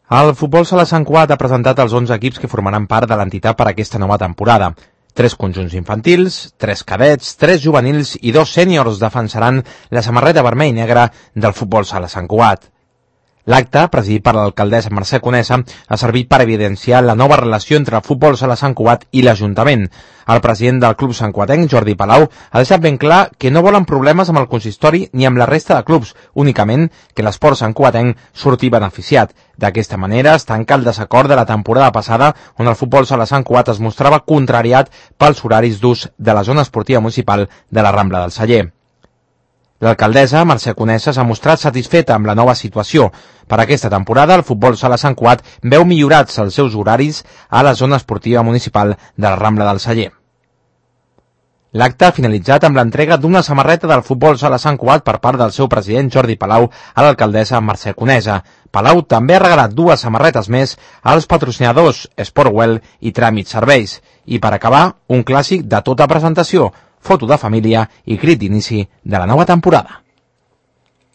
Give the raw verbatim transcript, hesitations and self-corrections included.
El Futbol Sala Sant Cugat ha presentat els onze equips que formaran part de l'entitat per a aquesta nova temporada. Tres conjunts infantils, tres cadets, tres juvenils i dos sèniors defensaran la samarreta vermell i negra del Futbol Sala Sant Cugat. L'acte, presidit per l'alcaldessa Mercè Conesa, ha servit per evidenciar la nova relació entre el Futbol Sala Sant Cugat i l'Ajuntament. El president del club santcugatenc, Jordi Palau, ha deixat ben clar que no volen problemes amb el consistori ni amb la resta de clubs, únicament que l'esport santcugatenc surti beneficiat. D'aquesta manera es tanca el desacord de la temporada passada, on el Futbol Sala Sant Cugat es mostrava contrariat pels horaris d'ús de la zona esportiva municipal de la Rambla del Celler. L'alcaldessa, Mercè Conesa, s'ha mostrat satisfeta amb la nova situació. Per aquesta temporada, el Futbol Sala Sant Cugat veu millorats els seus horaris a la zona esportiva municipal de la Rambla del Celler. L'acte ha finalitzat amb l'entrega d'una samarreta del Futbol Sala Sant Cugat per part del seu president Jordi Palau a l'alcaldessa Mercè Conesa. Palau també ha regalat dues samarretes més als patrocinadors Sportwell i Tràmit Serveis. I per acabar, un clàssic de tota presentació, foto de família i crit d'inici de la nova temporada.